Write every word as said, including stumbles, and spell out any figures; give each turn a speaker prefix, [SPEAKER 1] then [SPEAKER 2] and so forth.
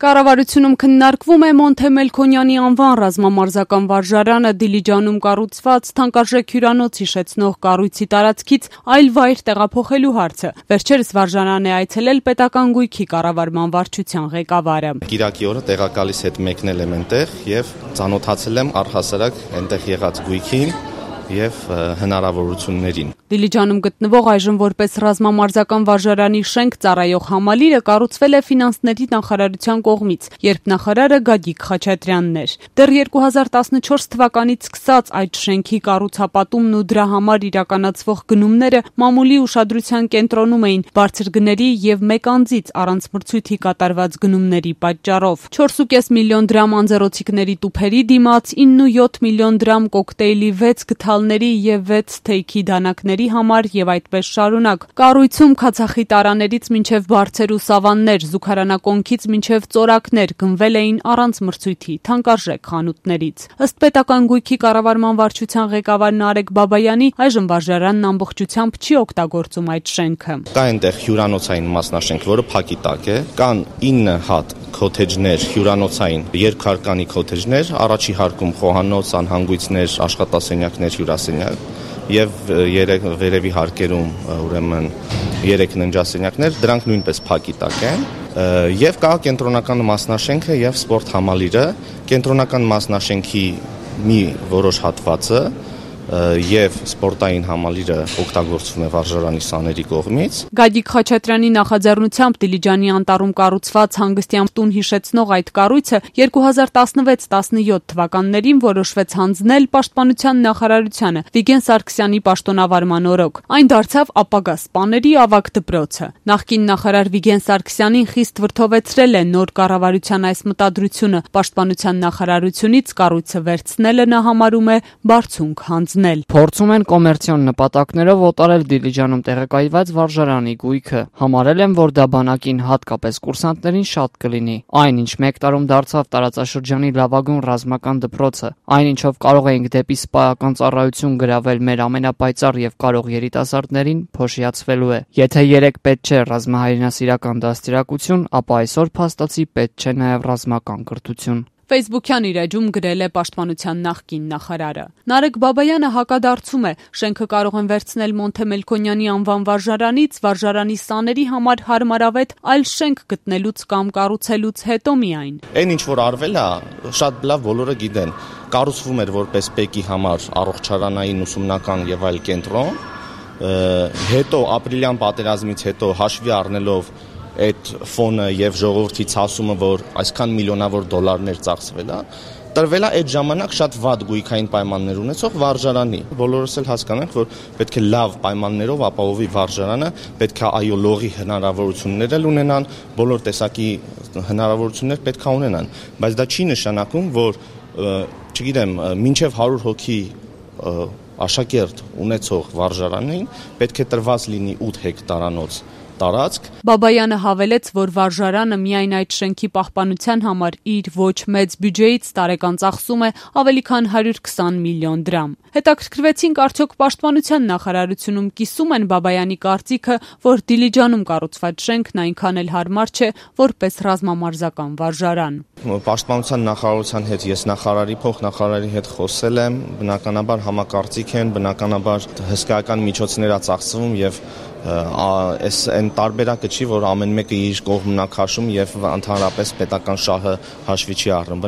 [SPEAKER 1] Կառավարությունում քննարկվում է Մոնթե Մելքոնյանի անվան ռազմամարզական վարժարանը Դիլիջանում կառուցված թանկարժեք հյուրանոց հիշեցնող կառույցի տարածքից այլ վայր տեղափոխելու հարցը։ Վերջերս վարժարան է այցելել պետական գույքի կառավարման վարչության ղեկավարը։
[SPEAKER 2] Կիրակի օրը տեղակալիս հետ մեկնել եմ այնտեղ եւ ծանոթացել եմ առհասարակ այնտեղ եղած գույքին եւ հնարավորություններին։
[SPEAKER 1] Դիլիջանում գտնվող այժմ որպես ռազմամարզական վարժարանի շենք ծառայող համալիրը կառուցվել է ֆինանսների նախարարության կողմից, երբ նախարարը Գագիկ Խաչատրյանն էր։ Դեռ երկու հազար տասնչորս թվականից սկսած այդ շենքի կառուցապատումն ու դրա համար իրականացվող գնումները մամուլի ուշադրության կենտրոնում էին բարձր գների եւ մեկ անձից առանց մրցույթի կատարված գնումների պատճառով։ չորս ու կես միլիոն դրամ անձեռոցիկների տուփերի դիմաց ինը ու յոթ միլիոն դրամ կոկտեյլի վեց գթալների եւ վեց թեյքի դանակների համար եւ այդպես շարունակ։ Կառույցում քացախի տարաներից մինչեւ բարձեր ու սավաններ, զուգարանակոնքից մինչեւ ծորակներ գնվել էին առանց մրցույթի թանկարժեք խանութներից։ Ըստ պետական գույքի կառավարման վարչության ղեկավար Նարեկ Բաբայանի, այժմ վարժարանն ամբողջությամբ չի օգտագործում այդ շենքը։
[SPEAKER 2] Կա այնտեղ հյուրանոցային մասնաշենք, որը փակի տակ է, կան ինը հատ քոթեջներ, հյուրանոցային երկհարկանի քոթեջներ, առաջի հարկում խոհանոց, անհանգույցներ, աշխատասենյակներ, հյուրասենյակ եւ երեք վերևի հարկերում ուրեմն երեք ննջասենյակներ, դրանք նույնպես փակի տակ են։ Եվ կա կենտրոնական մասնաշենքը եւ սպորտ համալիրը, կենտրոնական մասնաշենքի մի որոշ հատվածը եւ սպորտային համալիրը օգտագործվում է վարժարանի սաների կողմից։
[SPEAKER 1] Գագիկ Խաչատրյանի նախաձեռնությամբ Դիլիջանի անտառում կառուցված հանգստյան տուն հիշեցնող այդ կառույցը երկու հազար տասնվեց տասնյոթ թվականներին որոշվեց հանձնել Պաշտպանության նախարարությանը Վիգեն Սարգսյանի պաշտոնավարման օրոք։ Այն դարձավ ապագա սպաների ավագ դպրոցը։ Նախկին նախարար Վիգեն Սարգսյանին խիստ վրդովեցրել է նոր կառավարության այս մտադրությունը։ Պաշտպանության նախարարությունից կառույցը վերցնելը նա համարում է բարձունք հանձնել։
[SPEAKER 3] Փորձում են կոմերցիոն նպատակներով օտարել Դիլիջանում տեղակայված վարժարանի գույքը։ Համարել են, որ դա բանակին, հատկապես կուրսանտներին շատ կլինի։ Այնինչ մեկ տարում դարձավ տարածաշրջանի լավագույն ռազմական դպրոցը, այնինչով կարող էինք դեպի սպայական ծառայություն գրավել մեր ամենապայծառ եւ կարող երիտասարդներին, փոշիացվելու է։ Եթե երեք պետք չէ ռազմահայրենասիրական դաստիարակություն, ապա այսօր փաստացի պետք չէ նաեւ ռազմական կրթություն։
[SPEAKER 1] Ֆեյսբուքյան իր էջում գրել է Պաշտպանության նախկին նախարարը։ Նարեկ Բաբայանը հակադարձում է, շենքը կարող են վերցնել Մոնթե Մելքոնյանի անվան վարժարանից, վարժարանի սաների համար հարմարավետ այլ շենք գտնելուց կամ կառուցելուց հետո միայն։
[SPEAKER 2] Այն ինչ որ արվել է, շատ լավ բոլորը գիտեն։ Կառուցվում էր որպես ՊԵԿ-ի համար առողջարանային ուսումնական եւ այլ կենտրոն, հետո ապրիլյան պատերազմից հետո հաշվի առնելով այդ ֆոնը եւ ժողովրդի ցասումը, որ այսքան միլիոնավոր դոլարներ ծախսվել է, տրվել է այդ ժամանակ շատ վատ գույքային պայմաններ ունեցող վարժարանի։ Բոլորս էլ հասկանանք, որ պետք է լավ պայմաններով ապահովի վարժարանը, պետք է այո լողի հնարավորություններ էլ ունենան, բոլոր տեսակի հնարավորություններ պետք է ունենան, բայց դա չի նշանակում, որ չգիտեմ, մինչև հարյուր հոգի աշակերտ ունեցող վարժարանին պետք է տրված լինի ութ հեկտարանոց տարածք։
[SPEAKER 1] Բաբայանը հավելեց, որ վարժարանը միայն այդ շենքի պահպանության համար իր ոչ մեծ բյուջեից տարեկան ծախսում է ավելի քան հարյուր քսան միլիոն դրամ։ Հետաքրքրվեցինք, արդյոք Պաշտպանության նախարարությունում կիսում են Բաբայանի կարծիքը, որ Դիլիջանում կառուցված շենքն այնքան էլ հարմար չէ, որպես ռազմամարզական վարժարան։
[SPEAKER 2] Պաշտպանության նախարարության հետ ես նախարարի փոխնախարարի հետ խոսել եմ, բնականաբար համակարծիք են, բնականաբար հսկայական միջոցներ ա ծախսվում եւ այս այն տարբերակը չի, որ ամեն մեկը իր կողմն ա քաշում եւ ընդհանրապես պետական շահը հաշվի չի առնում։